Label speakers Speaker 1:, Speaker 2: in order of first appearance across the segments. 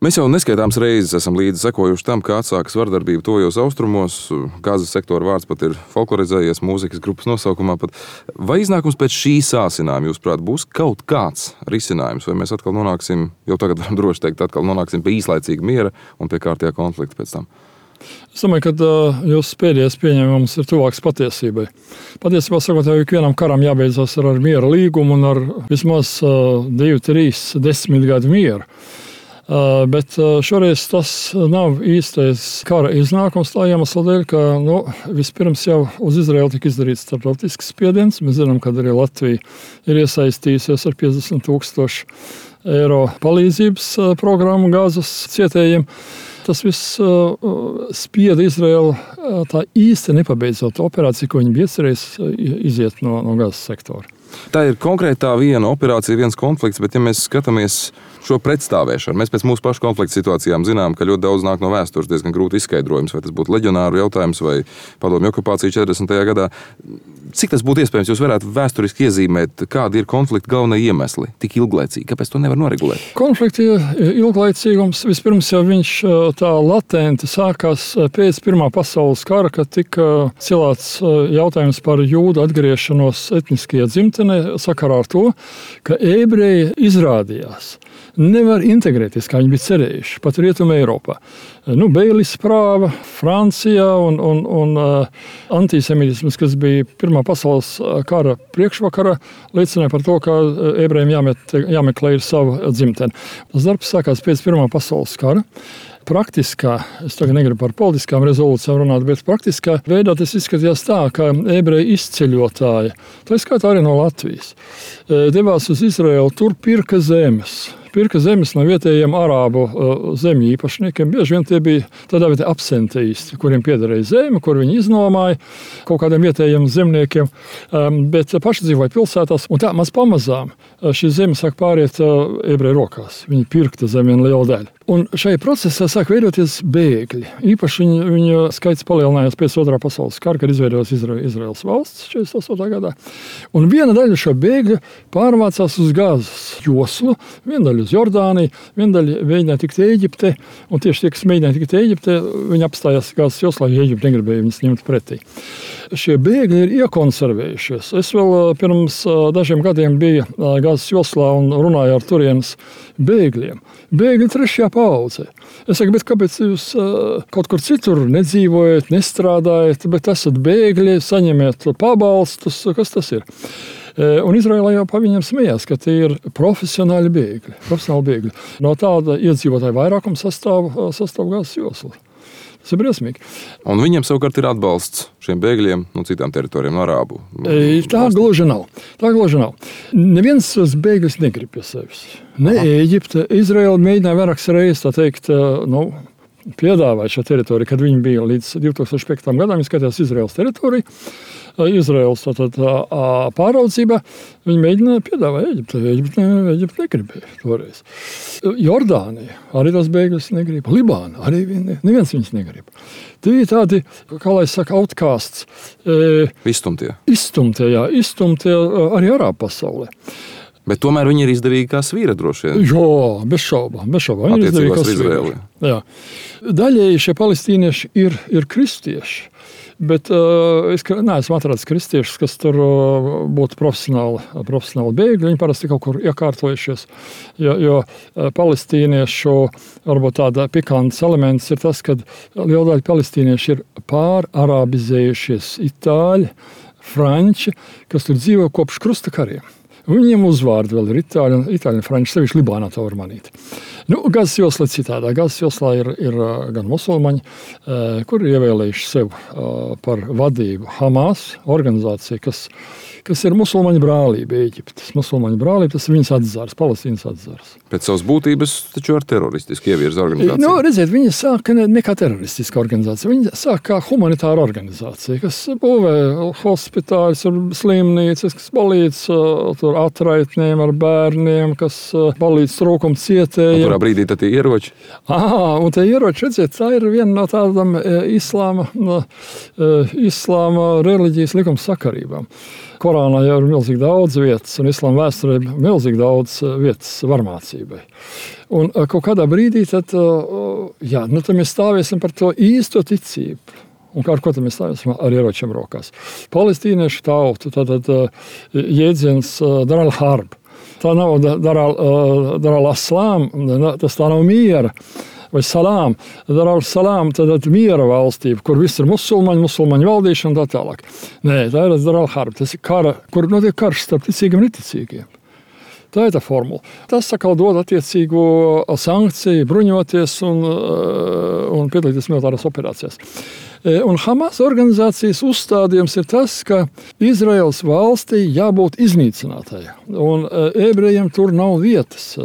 Speaker 1: Mēs jau neskaitāmas reizes esam līdzi sekojuši tam, kā atsākas vardarbība tuvajos austrumos. Gazas sektora vārds pat ir folklorizējies mūzikas grupas nosaukumā. Vai iznākums pēc šī sāsinājuma, jūsuprāt, būs kaut kāds risinājums, vai mēs atkal nonāksim, jau tagad varam droši teikt, atkal nonāksim pie īslaicīga miera un pie kārtējā konflikta pēc tam?
Speaker 2: Es domāju, ka jūsu pēdējais pieņēmums ir tuvāks patiesībai. Patiesībā sakot, jau ikvienam karam jābeidzas ar miera līgumu un ar vismaz 2, 3, 10 gadu mieru. Bet šoreiz tas nav īstais kara iznākums tā iemesla dēļ, ka vispirms jau uz Izraēlu tika izdarīts starptautisks spiediens. Mēs zinām, ka arī Latvija ir iesaistījusies ar 50,000 eiro palīdzības programmu Gazas cietējiem. Tas viss spieda Izraēlu tā īsti nepabeidzot operāciju, ko viņi bija iecerējuši iziet no Gazas sektora.
Speaker 1: Tā ir konkrētā viena operācija, viens konflikts, bet ja mēs skatāmies šo pretstāvēšanu, mēs pēc mūsu pašu konflikta situācijām zinām, ka ļoti daudz nāk no vēstures, diezgan grūti izskaidrojums, vai tas būtu leģionāru jautājums vai padomju okupācija 40. gadā. Cik tas būtu iespējams, jūs varētu vēsturiski iezīmēt, kādi ir konflikta galvenie iemesli tik ilglaicīgi? Kāpēc to nevar noregulēt?
Speaker 2: Konflikta ilglaicīgums vispirms jau viņš tā latenti sākās pēc Pirmā pasaules kara, kad tika cilāts jautājums par jūdu atgriešanos etniskajā dzimtenē sakarā ar to, ka ebreji izrādījās nevar integrēties, kā viņi bija cerējuši, pat Rietumē Eiropā. Beilis prāva Francijā un antisemitisms, kas bija Pirmā pasaules kara priekšvakarā, liecināja par to, ka ebrejiem jāmeklē ir savu dzimteni. Tas darbs sākās pēc Pirmā pasaules kara. Praktiskā, es tagad negribu par politiskām rezolūcijām runāt, bet praktiskā veidā tas izskatījās tā, ka ebreji izceļotāji, tā skaitā arī no Latvijas, devās uz Izraēlu, tur pirka zemes no vietējiem arābu zemju īpašniekiem. Bieži vien tie bija tādā veidā absenteisti, kuriem piederēja zeme, kur viņi iznomāja kaut kādiem vietējiem zemniekiem, bet paši dzīvoja pilsētās. Un tā maz pamazām šī zeme sāk pāriet ebreju rokās. Viņi pirkta zemi un lielu daļu. Un šajā procesā sāk veidoties bēgļi. Īpaši viņu skaits palielinājās pēc Otrā pasaules kara, kad izveidojās Izraēlas valsts 48. gadā. Un viena daļa šo bēgļu pārvācās uz Gazas joslu, viena daļa uz Jordāniju, viena daļa mēģināja tikt Ēģiptē, un tieši tie, kas mēģināja tikt Ēģiptē, viņi apstājās Gazas joslā, jo Ēģipte negribēja viņus ņemt pretī. Šie bēgļi ir iekonservējušies. Es vēl pirms dažiem gadiem biju Gazas joslā un runāju ar turienes bēgļiem. Bēgļi 3. paudzē. Es saku, bet kāpēc jūs kaut kur citur nedzīvojat, nestrādājat, bet esat bēgļi, saņemiet pabalstus, kas tas ir? Un Izraēlā jau pa viņiem smējās, ka tie ir profesionāli bēgļi. No tāda iedzīvotāja vairākuma sastāv Gazas josla. Tas ir briesmīgi.
Speaker 1: Un viņiem savukārt ir atbalsts šiem bēgļiem no citām teritorijām, no arābu.
Speaker 2: Tā gluži nav. Neviens tos bēgļus negrib pie sevis. Ne Ēģipte. Izraēla mēģināja vairākas reizes, tā teikt, piedāvāt šo teritoriju, kad viņi bija līdz 2005. gadam, viņi skatījās Izraēlas teritoriju. Izraēlas pāraudzībā viņi mēģināja piedāvāt Ēģipte. Ēģipte negribēja toreiz. Jordānija arī tos bēgļus negrib. Libāna arī neviens viņus negrib. Tie ir tādi, kā lai saka, outcasts. Izstumtie arī arābu pasaulē.
Speaker 1: Bet tomēr viņi ir izdevīgi kā svīra droši vien.
Speaker 2: Jā, bez šaubām. Viņi ir izdevīgi kā svīra. Jā. Daļēji šie palestīnieši ir kristieši. Bet es neesmu atradzis kristiešus, kas tur būtu profesionāli bēgļi. Viņi parasti kaut kur iekārtojušies, jo palestīniešu varbūt tāda pikants elements ir tas, ka liela daļa palestīnieši ir pārarabizējušies itāļi, franči, kas tur dzīvo kopš krusta kariem. Viņiem uzvārdi vēl ir itāļi un franči, sevišķi Libānā to var manīt. Gazas josla citādā. Gazas joslā ir gan musulmaņi, kuri ir ievēlējuši sev par vadību Hamas organizāciju, kas ir musulmaņu brālība Ēģiptes. Musulmaņu brālība, tas ir viņas atzars, Palestīnas atzars.
Speaker 1: Pēc savas būtības taču ar teroristisku ievirza organizāciju.
Speaker 2: Redziet, viņi sāka ne kā teroristiska organizācija, viņi sāka kā humanitāra organizācija, kas būvē hospitāļus, slimnīcas, kas palīdz tur atraitniem ar bērniem, kas palīdz trūkumu cietējiem.
Speaker 1: Kurā brīdī tad tie ieroči?
Speaker 2: Un tie ieroči, redziet, tā ir viena no tādām islāma reliģijas likuma sakarībām. Korānā jau ir milzīgi daudz vietas, un islāma vēsturē ir milzīgi daudz vietas varmācībai. Un kaut kādā brīdī tad mēs stāvēsim par to īsto ticību. Un ar ko tad mēs stāvēsim? Ar ieročiem rokās. Palestīniešu tautu, tātad jēdziens Dar al-Harb. Tā nav Dar al-Aslām, tas tā nav miera. Vai salām, Dar al-Salām, tad miera valstība, kur viss ir musulmaņu valdīšana un tā tālāk. Nē, tā ir Dar al-Harb, tas ir kara, kur notiek karš starp ticīgiem un neticīgiem. Tā ir tā formula. Tas sakal dod attiecīgo sankciju, bruņoties un piedalīties militārās operācijās. Un Hamas organizācijas uzstādījums ir tas, ka Izraels valstī jābūt iznīcinātai. Un ebrejiem tur nav vietas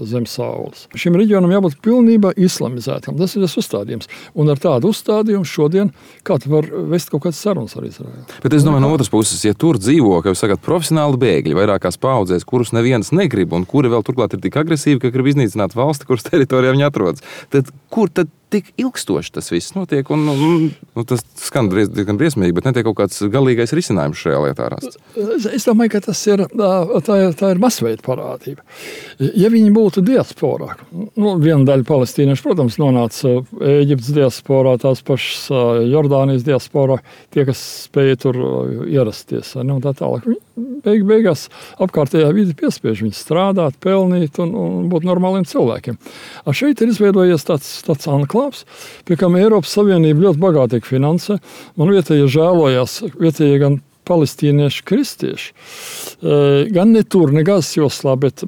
Speaker 2: zem saules. Šim reģionam jābūt pilnībā islamizētam. Tas ir tas uzstādījums. Un ar tādu uzstādījumu šodien kā tu var vest kaut kādas sarunas ar Izraelu.
Speaker 1: Bet es domāju, no otras puses, ja tur dzīvo, kā jūs sakat, profesionāli bēgļi vairākās paudzēs, kurus neviens negrib un kuri vēl turklāt ir tik agresīvi, ka grib iznīcināt valsti, kuras teritorijā viņi atrodas, tad kur tad tik ilgstoši tas viss notiek, un tas skan diezgan briesmīgi, bet netiek kaut kāds galīgais risinājums šajā lietā rasts.
Speaker 2: Es domāju, ka tas ir, tā ir masveida parādība. Ja viņi būtu diasporā, viena daļa palestīniešu, protams, nonāca Ēģiptes diasporā, tās pašas Jordānijas diasporā, tie, kas spēja tur ierasties, un tā tālāk. Beigās apkārtējā vide piespiež viņus strādāt, pelnīt un būt normāliem cilvēkiem. Šeit ir izveidojies tāds anklāvs, pie kam Eiropas Savienība ļoti bagātīgi finansē. Man vietējie žēlojās, vietējie gan palestīnieši, kristieši, gan ne tur, ne Gazas joslā, bet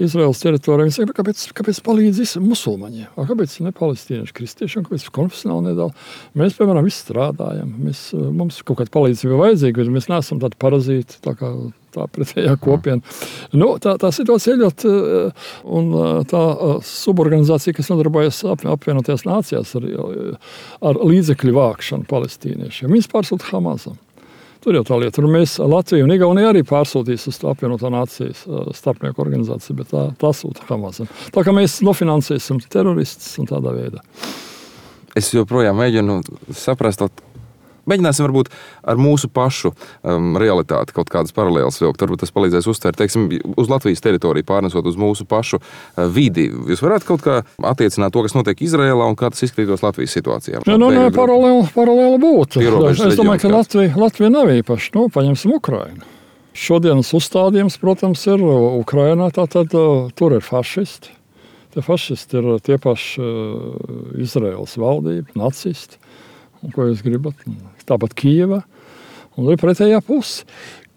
Speaker 2: Izraels teritorijā. Viņi saka, kāpēc palīdz musulmaņiem? Kāpēc ne palestīnieši, kristieši, un kāpēc konfesionāli nedala? Mēs, piemēram, visi strādājam. Mums kaut kāda palīdzība vajadzīga, bet mēs neesam tādi parazīti, tā pretējā kopiena. Tā situācija ir ļoti, un tā suborganizācija, kas nodarbojas apvienotajās nācijās ar līdzekļu vākšanu palestīniešiem, viņas pārsūta Hamasam. Tur jau tā lieta. Tur mēs Latviju un Igauniju arī pārsūtīs uz apvienotā nācijas starpnieku organizāciju, bet tā sūta Hamasam. Tā kā mēs nofinansēsim teroristus un tādā veidā.
Speaker 1: Es joprojām mēģinu saprast, mēģināsim varbūt ar mūsu pašu realitāti kaut kādas paralēlas vilkt. Varbūt tas palīdzēs uztvert, teiksim, uz Latvijas teritoriju pārnesot uz mūsu pašu vidi. Jūs varētu kaut kā attiecināt to, kas notiek Izrēlā un kā tas izskatītos Latvijas situācijā?
Speaker 2: Paralēli būtu. Es domāju, ka Latvija nav īpaši. Paņemsim Ukrainu. Šodienas uzstādījums, protams, ir Ukrainā, tātad tur ir fašisti. Tie fašisti ir tie paši Izraēlas valdība, nacisti. Un ko jūs gribat? Tāpat Kijeva, un ir pretējā puse,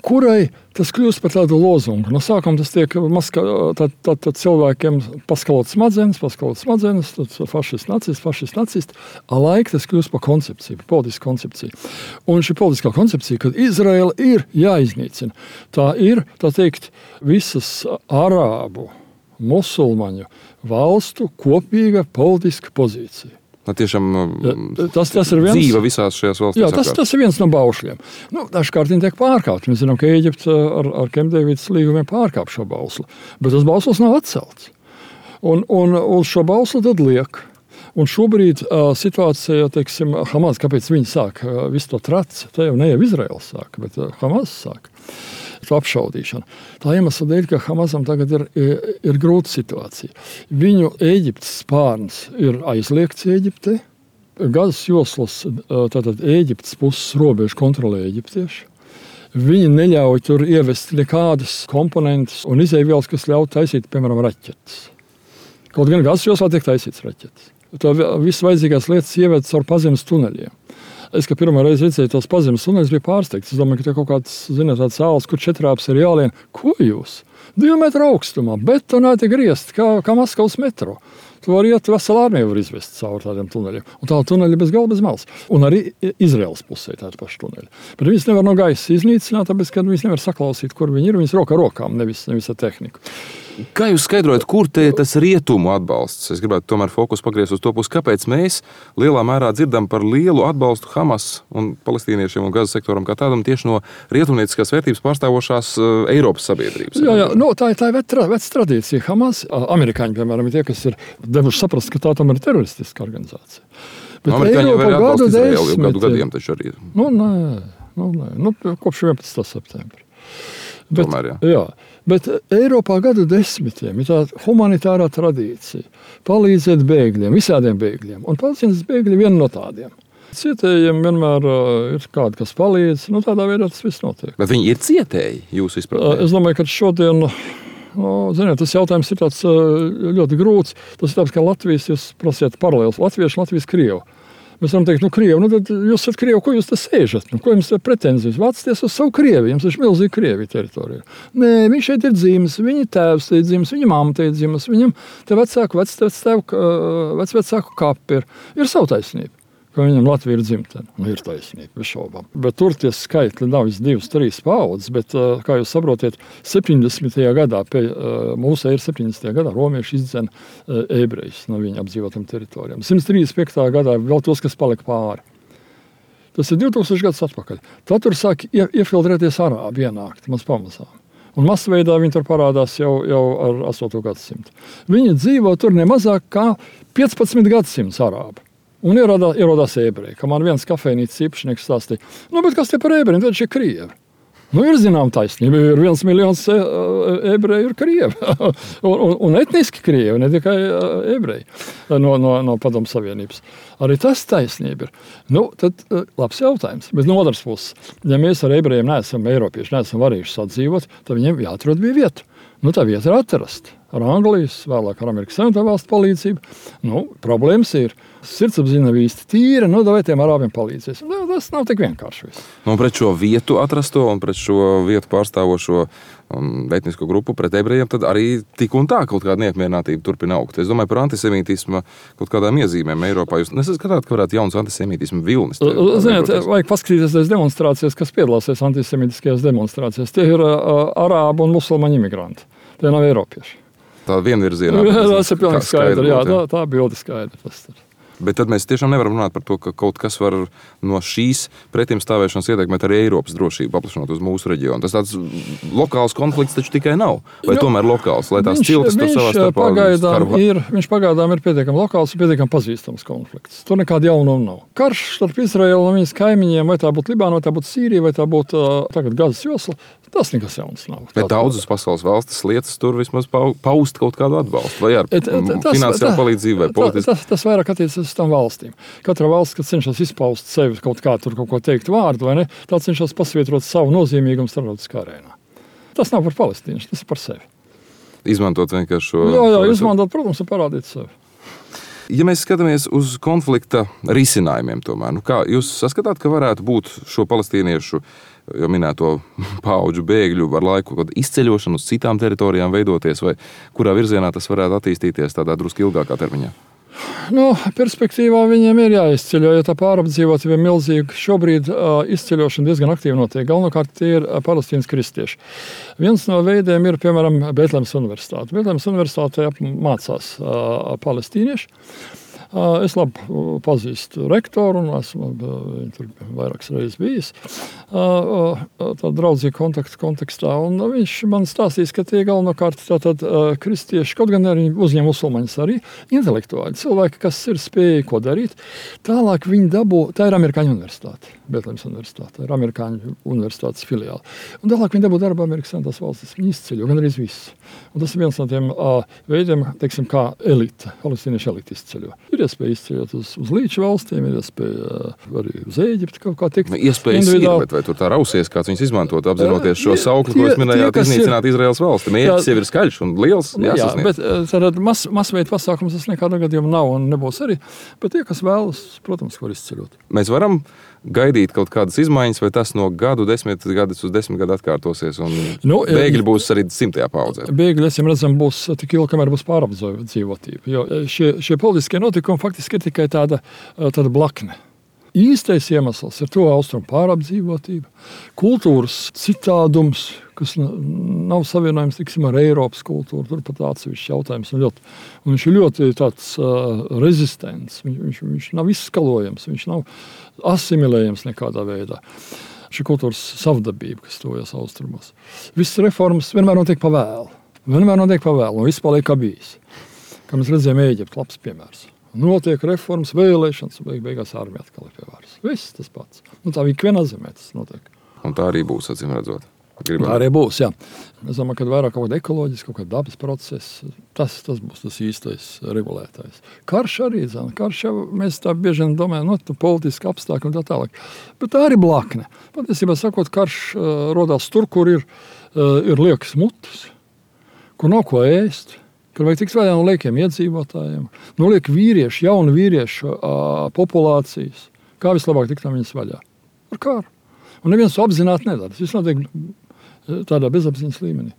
Speaker 2: kurai tas kļūst par tādu lozungu. No sākuma tas tiek tad cilvēkiem paskalot smadzenes, tad fašists, nacist, laika tas kļūst par koncepciju, par politisku koncepciju. Un šī politiskā koncepcija, kad Izraela ir jāiznīcina, tā ir, tā teikt, visas arābu, musulmaņu valstu kopīga politiska pozīcija.
Speaker 1: Tiešām
Speaker 2: tas ir viens,
Speaker 1: dzīve visās šajās valstīs.
Speaker 2: Jā, tas ir viens no baušļiem. Dažkārt viņi tiek pārkāpti. Mēs zinām, ka Ēģipte ar Kempdēvidas līgumiem pārkāp šo bauslu. Bet tas bausls nav atcelts. Un uz šo bauslu tad liek. Un šobrīd situācija, teiksim, Hamas, kāpēc viņi sāk visu to traci? Tā jau ne jau Izraels sāk, bet Hamas sāk to apšaudīšanu. Tā iemesla dēļ, ka Hamasam tagad ir grūta situācija. Viņu Ēģiptes spārns ir aizliegts Ēģiptē. Gazas joslas, tātad Ēģiptes puses robežu kontrolē eģiptieši. Viņi neļauj tur ievest nekādas komponentes un izēvielas, kas ļauj taisīt, piemēram, raķetes. Kaut gan Gazas joslā tiek taisīts raķetes. Tā viss vajadzīgās lietas ieved caur pazemes tuneļiem. Es, kad pirmā reize redzēju tos pazemes tuneļus, biju pārsteigts. Es domāju, ka tie kaut kāds, tāds āls, kur 4 āps ir jālien. Ko jūs? 2 metru augstumā, betonēti griezti, kā Maskavas metro. Tu vari iet, vesela armija var izvest cauri tādiem tuneļiem. Un tā tuneļi bez galva, bez malas. Un arī Izraels pusē tādi paši tuneļi. Bet viņas nevar no gaisa iznīcināt, tāpēc, ka viņas nevar saklausīt, kur viņi ir. Viņas roka rokām, nevis ar tehniku.
Speaker 1: Kā jūs skaidrojat, kur te tas rietumu atbalsts? Es gribētu tomēr fokus pagriezt uz to pusi, kāpēc mēs lielā mērā dzirdam par lielu atbalstu Hamas un palestīniešiem un Gazas sektoram kā tādam tieši no rietumnieciskās vērtības pārstāvošās Eiropas sabiedrības.
Speaker 2: Jā, tā ir veca tradīcija. Hamas, amerikāņi, piemēram, ir tie, kas ir devuši saprast, ka tā tomēr ir teroristiska organizācija. Bet
Speaker 1: amerikāņi jau ir atbalsts Izraēlu jau gadu gadiem taču arī.
Speaker 2: Kopš 11. septembra.
Speaker 1: Tomēr,
Speaker 2: Bet Eiropā gadu desmitiem ir tāda humanitārā tradīcija palīdzēt bēgļiem, visādiem bēgļiem. Un Palestīnas bēgļi viena no tādiem. Cietējiem vienmēr ir kādi, kas palīdz. Tādā veidā tas viss notiek.
Speaker 1: Bet viņi ir cietēji, jūs izpratnē?
Speaker 2: Es domāju, ka šodien, ziniet, tas jautājums ir tāds ļoti grūts. Tas ir tāds, kā Latvijas, jūs prasiet paralēlis. Latvieši, Latvijas Krievu. Mēs varam teikt, Krievi, tad jūs esat Krievi, ko jūs te sēžat? Ko jums te pretenzijas? Vācties uz savu Krieviju, jums ir milzīgi Krievija teritorija. Nē, viņš šeit ir dzimis, viņa tēvs te ir dzimis, viņa mamma te ir dzimis, viņam te vecāku kapi ir savu taisnību. Ka viņam Latvija ir dzimtene. Ir taisnība, bez šaubām. Bet tur tie skaitļi nav 2, 3 paudzes, bet, kā jūs saprotiet, 70. gadā, mūsu ir 70. gadā, romieši izdzena ebrejus no viņa apdzīvotām teritorijām. 135. gadā vēl tos, kas palika pāri. Tas ir 2000 gadus atpakaļ. Tad tur sāk iefiltrēties arābi ienākt, maz pamazām. Un masveidā viņi tur parādās jau ar 8. gadsimtu. Viņi dzīvo tur nemazāk kā 15 gadsimts arābi. Un ierodās ebreji, ka man viens kafejnīcas īpašnieks stāstīja, bet kas te par ebrejiem, tad šie Krievi. Ir zinām taisnība, ir 1 miljons ebreju ir Krievi. un etniski Krievi, ne tikai ebreji no Padomu Savienības. Arī tas taisnība ir. Tad labs jautājums. Bet no otras puses, ja mēs ar ebrejiem neesam eiropieši, neesam varējuši sadzīvot, tad viņiem jāatrod bija vieta. Tā vieta ir atrast. Ar Anglijas, vēlāk ar Amerikas Savienoto Valstu palīdzību. Problēmas ir. Sirdsapziņa nav īsti tīra, vai tiem arābiem palīdzēs. Tas nav tik vienkārši.
Speaker 1: Pret šo vietu atrasto un pret šo vietu pārstāvošo etnisko grupu, pret ebrejiem, tad arī tik un tā kaut kāda neapmierinātība turpina augt. Es domāju par antisemītismu kaut kādām iezīmēm Eiropā. Jūs nesaskatāt, ka varētu jauns antisemītismu vilnis?
Speaker 2: Ziniet, vajag paskatīties tās demonstrācijas, kas piedalāsies antisemītiskajās demonstrācijās. Tie ir arābu un musulmaņu imigranti. Tie nav eiropieši.
Speaker 1: Tā vienvirzienā.
Speaker 2: Tas ir pilnīgi skaidrs. Tā bilde skaidra.
Speaker 1: Bet tad mēs tiešām nevaram runāt par to, ka kaut kas var no šīs pretimstāvēšanas ietekmēt arī Eiropas drošību, paplašinot uz mūsu reģionu. Tas tāds lokāls konflikts taču tikai nav. Vai tomēr lokāls, lai tās ciltis tur savā starpā
Speaker 2: Viņš pagaidām ir pietiekami lokāls un pietiekami pazīstams konflikts. Tur nekāda jaunuma nav. Karš starp Izraēlu un viņas kaimiņiem, vai tā būtu Libāna, vai tā būtu Sīrija, vai tā būtu tagad Gazas josla, tas nekas jauns nav.
Speaker 1: Bet daudzas pasaules valstis lietas tur vismaz paust kaut kādu atbalstu, vai ar finansiālu palīdzību, vai politiski.
Speaker 2: Tas vairāk attiecas uz tām valstīm. Katra valsts, kad cenšas izpaust sevi kaut kā tur kaut ko teikt vārdu, vai ne, tā cenšas pasvietrot savu nozīmīgumu starptautiskā arēnā. Tas nav par palestīniešu, tas ir par sevi.
Speaker 1: Izmantot vienkārši šo...
Speaker 2: Jā, izmantot, protams, un parādīt sevi.
Speaker 1: Ja mēs skatāmies uz konflikta risinājumiem tomēr, kā jūs saskatāt, ka varētu būt šo palestīniešu jau minēto paudžu bēgļu ar laiku kaut izceļošanu uz citām teritorijām veidoties, vai kurā virzienā tas varētu attīstīties tādā drusku ilgākā termiņā?
Speaker 2: Perspektīvā viņiem ir jāizceļo, jo tā pārapdzīvotība ir milzīga. Šobrīd izceļošana diezgan aktīvi notiek. Galvenokārt tie ir palestīnas kristieši. Viens no veidiem ir, piemēram, Betlehemes universitāte. Betlehemes universitātē mācās palestīnieši. Es labi pazīstu rektoru un esmu tur vairākas reizes bijis tādā draudzīga kontekstā. Un viņš man stāstīs, ka tie galvenokārt tātad kristieši, kaut gan arī uzņem musulmaņus arī, intelektuāļi, cilvēki, kas ir spēja ko darīt. Tālāk viņi dabū, tā ir Amerikāņu universitāte, Betlehemes universitāte, ir Amerikāņu universitātes filiāli. Un tālāk viņi dabū darbu Amerikas Savienotās valstis, viņi izceļo, gan arī viss. Un tas ir viens no tiem veidiem, teiksim, kā elite, palestīniešu elite izceļo. Ir iespēja izceļot uz līča valstīm, ir iespēja arī uz Ēģipti kaut kā tikt.
Speaker 1: Iespējas ir, bet vai tur tā rausies, kāds viņus izmantot, apzinoties šo saukli, ko jūs minējāt, iznīcināt Izraēlas valsti? Mērķis jau ir skaļš un liels, jāsasniedz.
Speaker 2: Bet tad masveida pasākums tas nekādā gadījumā nav un nebūs arī, bet tie, kas vēlas, protams, var izceļot.
Speaker 1: Mēs varam gaidīt kaut kādas izmaiņas, vai tas no gadu, 10 gadus uz 10 gadu atkārtosies, un bēgļi būs arī 100. paudzē?
Speaker 2: Bēgļi, es redzam, būs tik ilgi, kamēr būs pārapdzīvotība. Jo šie politiskie notikumi faktiski ir tikai tāda blakne. Īstais iemesls ir to austrumu pārapdzīvotība, kultūras citādums, kas nav savienojams, tiksim, ar Eiropas kultūru. Tur pat atsevišķs jautājums. Un viņš ir ļoti tāds rezistents. Viņš nav izskalojams, viņš nav asimilējams nekādā veidā. Šī kultūras savdabība, kas tojas austrumos. Visas reformas vienmēr notiek pa vēlu. Un viss paliek kā bijis. Kā mēs redzējām, Ēģipte, labs piemērs. Notiek reformas, vēlēšanas, beigās armija atkal ir pie varas. Viss tas pats. Tā ikvienā zemē tas notiek.
Speaker 1: Un tā arī būs, acīm redzot.
Speaker 2: Tā arī būs, jā. Es domāju, ka vairāk kaut kāda ekoloģiska, kaut kāda dabas procesa, tas būs tas īstais regulētājs. Karš arī, mēs tā bieži vien domājam, politiski apstākļi un tā tālāk. Bet tā arī blakne. Patiesībā sakot, karš rodās tur, kur ir liekas mutes, kur nav ko ēst, kur vajag tikt vaļā no liekiem iedzīvotājiem, no liek vīriešu, jaunu vīriešu populācijas. Kā vislabāk tikt no viņas vaļā? Ar kāru. Un neviens to apzināti nedara. Tas viss notiek tādā bezapziņas līmenī.